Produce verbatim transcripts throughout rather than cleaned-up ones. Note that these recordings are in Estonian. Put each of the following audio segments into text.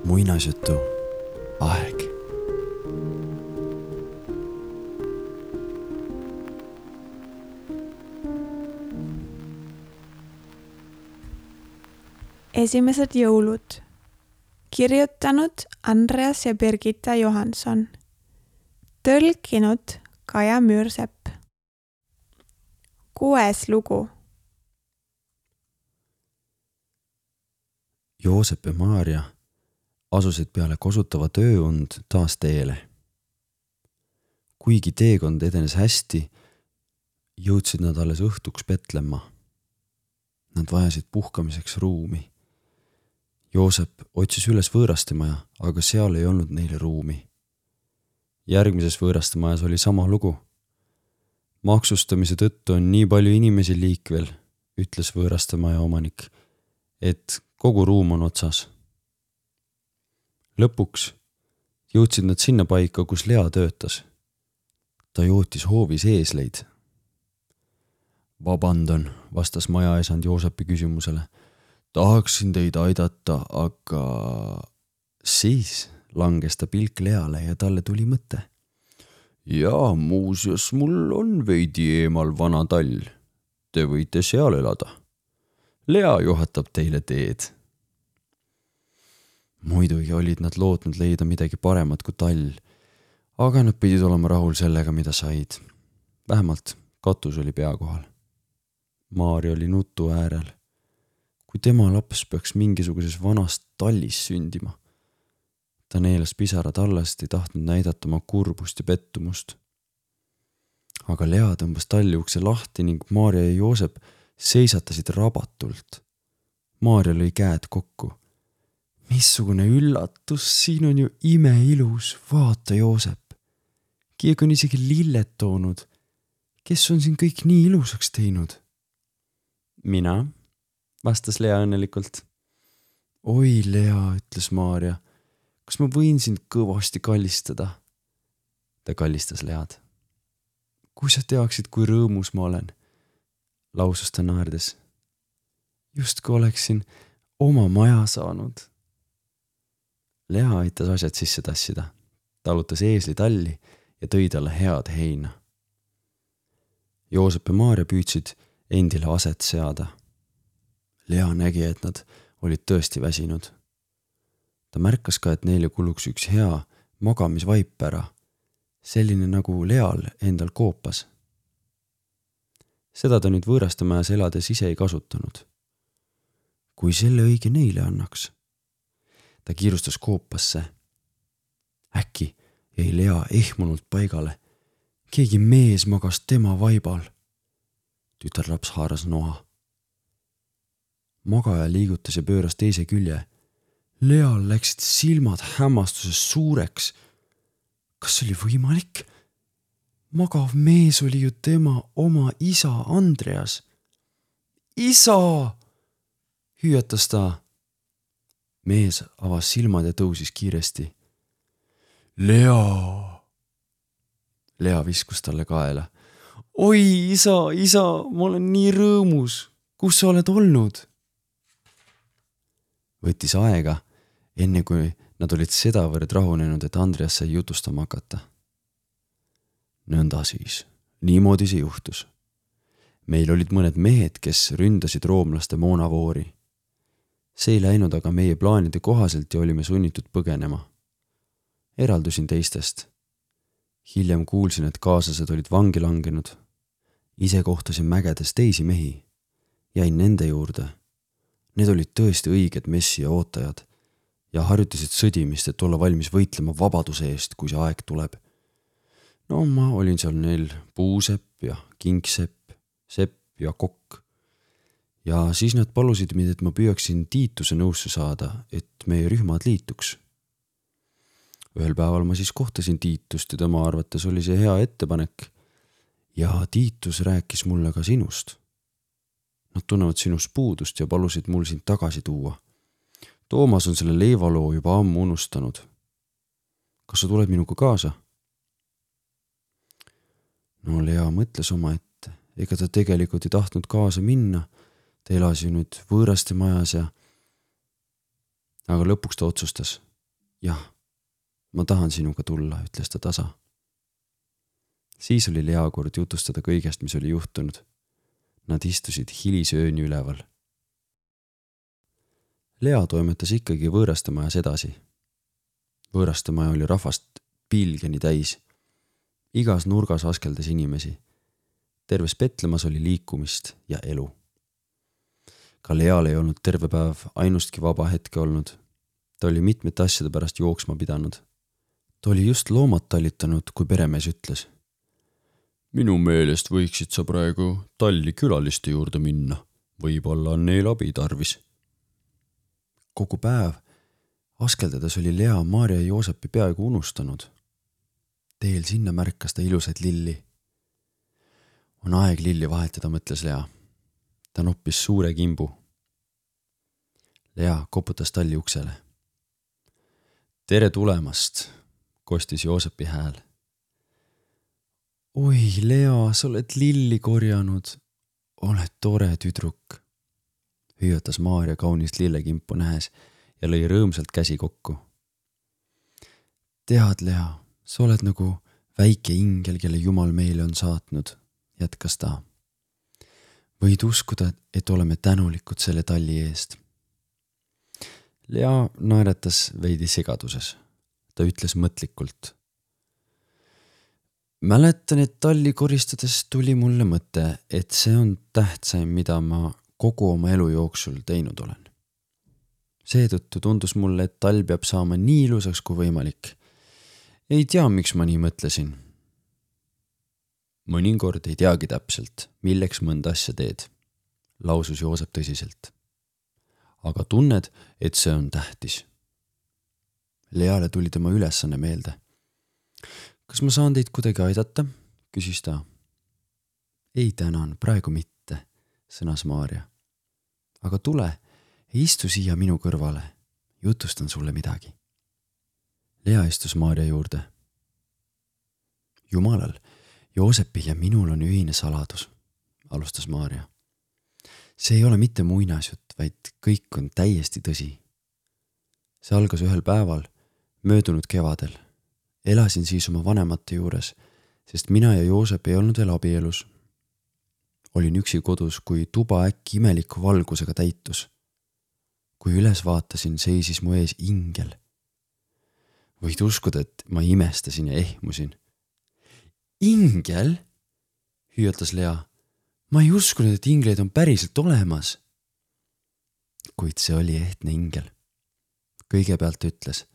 muinasjutu aeg. Esimesed jõulud. Kirjutanud Andreas ja Birgitta Johansson. Tõlkinud Kaja Müürsepp. Kuues lugu. Joosep ja Maarja asusid peale kosutava tööund taas teele. Kuigi teekond edenes hästi, jõudsid nad alles õhtuks Petlemma. Nad vajasid puhkamiseks ruumi. Joosep otsis üles võõrastemaja, aga seal ei olnud neile ruumi. Järgmises võõrastemajas oli sama lugu. Maksustamise tõttu on nii palju inimesi liikvel, ütles võõrastemaja omanik, et kogu ruum on otsas. Lõpuks jõudsid nad sinna paika, kus Lea töötas. Ta jootis hoovis eesleid. Vabandan, vastas majaesand Joosepi küsimusele. Tahaksin teid aidata, aga siis langes ta pilk Leale ja talle tuli mõte. Ja muuseas, mul on veidi eemal vana tall. Te võite seal elada. Lea juhatab teile teed. Muidugi olid nad lootnud leida midagi paremat kui tall, aga nad pidid olema rahul sellega, mida said. Vähemalt katus oli pea kohal. Maarja oli nutu äärel. Kui tema laps peaks mingisuguses vanast tallis sündima. Ta neelas pisarad allast, ei tahtnud näidata oma kurbust ja pettumust. Aga Lea tõmbas talli ukse lahti ning Maarja ja Joosep seisatasid rabatult. Maarja lõi käed kokku. Missugune üllatus, siin on ju imeilus, vaata Joosep. Keegi on isegi lilled toonud. Kes on siin kõik nii ilusaks teinud? Mina, vastas Lea õnnelikult. Oi Lea, ütles Maarja, kas ma võin sind kõvasti kallistada? Ta kallistas Lead. Kui sa teaksid, kui rõõmus ma olen, lausus ta naerdes. Just kui oleksin oma maja saanud. Lea aitas asjad sisse tassida, talutas eesli talli ja tõi talle head heina. Joosep ja Maarja püüdsid endile aset seada. Lea nägi, et nad olid tõesti väsinud. Ta märkas ka, et neile kuluks üks hea magamisvaip ära, selline nagu Leal endal koopas. Seda ta nüüd võõrastemajas elades ise ei kasutanud. Kui selle õige neile annaks. Ta kiirustas koopasse. Äkki jäi Lea ehmunult paigale. Keegi mees magas tema vaibal. Tütarlaps haaras noa. Magaja liigutas ja pööras teise külje. Leal läksid silmad hämmastuses suureks. Kas see oli võimalik? Magav mees oli ju tema oma isa Andreas. Isa! Hüüatas ta. Mees avas silmad ja tõusis kiiresti. Lea! Lea viskus talle kaela. Oi, isa, isa, ma olen nii rõõmus. Kus sa oled olnud? Võttis aega, enne kui nad olid sedavõrd rahunenud, et Andreas sai jutustama hakata. Nõnda siis, niimoodi see juhtus. Meil olid mõned mehed, kes ründasid roomlaste moonavoori. See ei läinud aga meie plaanide kohaselt ja olime sunnitud põgenema. Eraldusin teistest. Hiljem kuulsin, et kaaslased olid vangi langenud. Ise kohtasin mägedes teisi mehi. Jäin nende juurde. Need olid tõesti õiged messi ja ootajad ja harjutasid sõdimist, et olla valmis võitlema vabaduse eest, kui see aeg tuleb. No ma olin seal neil Puusepp ja Kingsepp, Sepp ja Kokk. Ja siis nad palusid mind, et ma püüaksin Tiituse nõusse saada, et meie rühmad liituks. Ühel päeval ma siis kohtasin Tiitust ja tema arvates oli see hea ettepanek ja Tiitus rääkis mulle ka sinust. Nad tunnevad sinust puudust ja palusid mul sind tagasi tuua. Toomas on selle leivaloo juba ammu unustanud. Kas sa tuled minuga kaasa? No Lea mõtles oma ette, ega ta tegelikult ei tahtnud kaasa minna. ta elas ju nüüd võõraste majas ja aga lõpuks ta otsustas. Jah, ma tahan sinuga tulla, ütles ta tasa. Siis oli Lea kord jutustada kõigest, mis oli juhtunud. Nad istusid hilisööni üleval. Lea toimetas ikkagi võõraste majas edasi. Võõraste maja oli rahvast pilgeni täis. Igas nurgas askeldas inimesi. Terves Petlemas oli liikumist ja elu. Ka Leal ei olnud terve päev ainustki vaba hetke olnud. Ta oli mitmete asjade pärast jooksma pidanud. Ta oli just loomad talitanud, kui peremees ütles. Minu meelest võiksid sa praegu talli külaliste juurde minna. Võib-olla on neil abi tarvis. Kogu päev askeldades oli Lea Maarja ja Joosepi peaaegu unustanud. Teel sinna märkas ta ilusaid lilli. On aeg lilli vahetada, mõtles Lea. Ta noppis suure kimbu. Lea koputas talli uksele. Tere tulemast, kostis Joosepi hääl. Oi, Lea, sa oled lilli korjanud. Oled tore tüdruk. Hüüatas Maarja kaunist lillekimpu nähes ja lõi rõõmsalt käsi kokku. Tead, Lea, sa oled nagu väike ingel, kelle Jumal meile on saatnud, jätkas ta. Võid uskuda, et oleme tänulikud selle talli eest. Lea naeretas veidi segaduses. Ta ütles mõtlikult. Mäletan, et talli koristades tuli mulle mõte, et see on tähtsaim, mida ma kogu oma elu jooksul teinud olen. Seetõttu tundus mulle, et tall peab saama nii ilusaks kui võimalik. Ei tea, miks ma nii mõtlesin. Mõnikord ei teagi täpselt, milleks mõnda asja teed, lausus Joosep tõsiselt. Aga tunned, et see on tähtis. Leale tuli tema ülesanne meelde. Kas ma saan teid kuidagi aidata? Küsis ta. Ei tänan, praegu mitte, sõnas Maarja. Aga tule, istu siia minu kõrvale. Jutustan sulle midagi. Lea istus Maarja juurde. Jumalal, Joosepil ja minul on ühine saladus, alustas Maarja. See ei ole mitte muinasjutt, vaid kõik on täiesti tõsi. See algas ühel päeval, möödunud kevadel. Elasin siis oma vanemate juures, sest mina ja Joosep ei olnud veel abielus. Olin üksi kodus, kui tuba äkki imeliku valgusega täitus. Kui üles vaatasin, seisis mu ees ingel. Võid uskuda, et ma imestasin ja ehmusin. Ingel? Hüüatas Lea. Ma ei uskunud, et ingleid on päriselt olemas. Kuid see oli ehtne ingel. Kõigepealt ütles,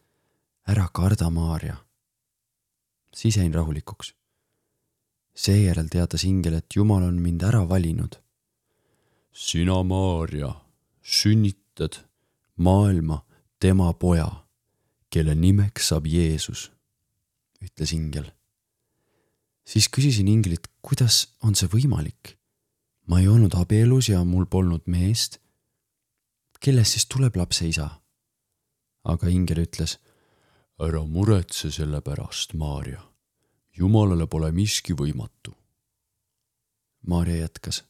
ära karda, Maarja. Siis jäin rahulikuks. Seejärel teatas ingel, et Jumal on mind ära valinud. Sina, Maarja, sünnitad maailma tema poja, kelle nimeks saab Jeesus, ütles ingel. Siis küsisin ingelit, kuidas on see võimalik? Ma ei olnud abielus ja mul polnud meest. Kellest siis tuleb lapse isa? Aga ingel ütles, ära muretse selle pärast, Maarja. Jumalale pole miski võimatu. Maarja jätkas.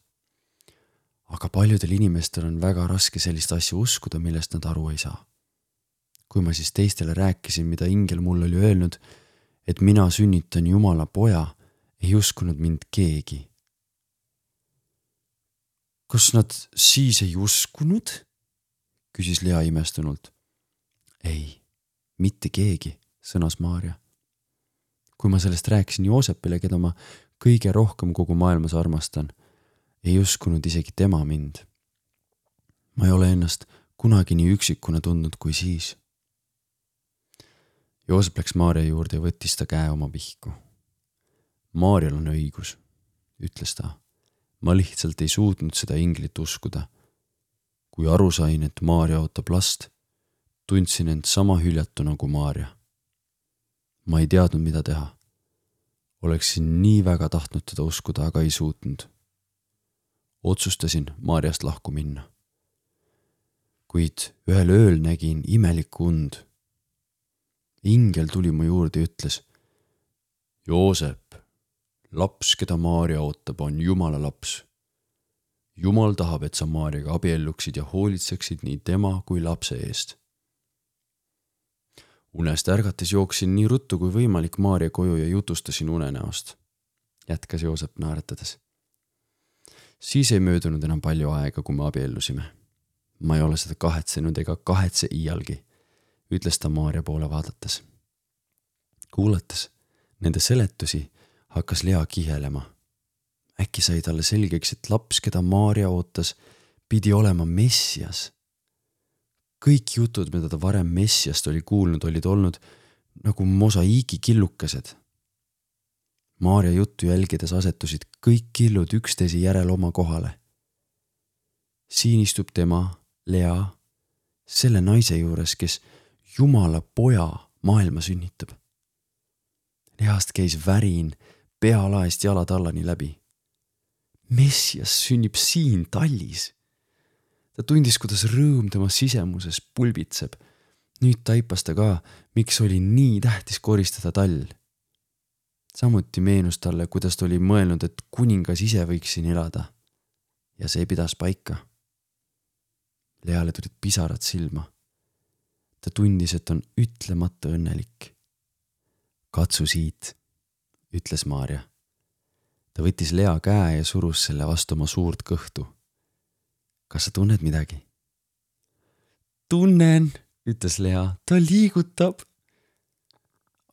Aga paljudel inimestel on väga raske sellist asja uskuda, millest nad aru ei saa. Kui ma siis teistele rääkisin, mida ingel mulle oli öelnud, et mina sünnitan Jumala poja, ei uskunud mind keegi. Kas nad siis ei uskunud? Küsis Lea imestunult. Ei, mitte keegi, sõnas Maarja. Kui ma sellest rääkisin Joosepile, keda ma kõige rohkem kogu maailmas armastan, ei uskunud isegi tema mind. Ma ei ole ennast kunagi nii üksikuna tundnud kui siis. Joosep läks Maarja juurde ja võttis ta käe oma pihku. Maarjal on õigus, ütles ta. Ma lihtsalt ei suutnud seda inglit uskuda. Kui aru sain, et Maarja ootab last, tundsin end sama hüljatu nagu Maarja. Ma ei teadnud, mida teha. Oleksin nii väga tahtnud teda uskuda, aga ei suutnud. Otsustasin Maarjast lahku minna. Kuid ühel ööl nägin imelikku und. Ingel tuli mu juurde ja ütles, Joosep, laps, keda Maarja ootab, on Jumala laps. Jumal tahab, et sa Maarjaga abielluksid ja hoolitseksid nii tema kui lapse eest. Unest ärgates jooksin nii ruttu kui võimalik Maarja koju ja jutustasin unenäost, jätkas Joosep naeratades. Siis ei möödunud enam palju aega, kui me abiellusime. Ma ei ole seda kahetsenud ega kahetse iialgi, ütles ta Maarja poole vaadates. Kuulates nende seletusi hakkas Lea kihelema. Äkki sai talle selgeks, et laps, keda Maarja ootas, pidi olema Messias. Kõik jutud, mida ta varem Messiast oli kuulnud, olid olnud nagu mosaiigi killukesed. Maarja juttu jälgides asetusid kõik killud üksteise järel oma kohale. Siin istub tema, Lea, selle naise juures, kes Jumala poja maailma sünnitab. Least käis värin pealaest jalatallani läbi. Messias sünnib siin tallis. Ta tundis, kuidas rõõm tema sisemuses pulbitseb. Nüüd taipas ta ka, miks oli nii tähtis koristada tall. Samuti meenus talle, kuidas ta oli mõelnud, et kuningas ise võiks siin elada. Ja see pidas paika. Leale tulid pisarad silma. Ta tundis, et on ütlemata õnnelik. Katsu siit, ütles Maarja. Ta võttis Lea käe ja surus selle vastu oma suurt kõhtu. Kas sa tunned midagi? Tunnen, ütles Lea, ta liigutab.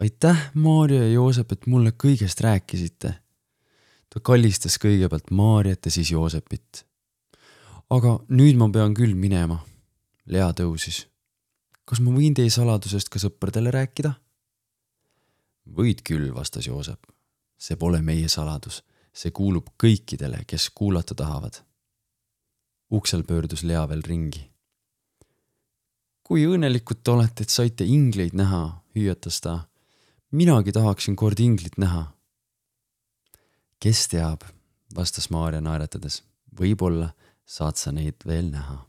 Aitäh, Maarja ja Joosep, et mulle kõigest rääkisite. Ta kallistas kõigepealt Maarjat ja siis Joosepit. Aga nüüd ma pean küll minema. Lea tõusis. Kas ma võin teie saladusest ka sõpradele rääkida? Võid küll, vastas Joosep. See pole meie saladus. See kuulub kõikidele, kes kuulata tahavad. Uksel pöördus Lea veel ringi. Kui õnnelikud te olete, et saite ingleid näha, hüüatas ta. Minagi tahaksin kord inglit näha. Kes teab, vastas Maarja naeratades. Võib-olla saad sa neid veel näha.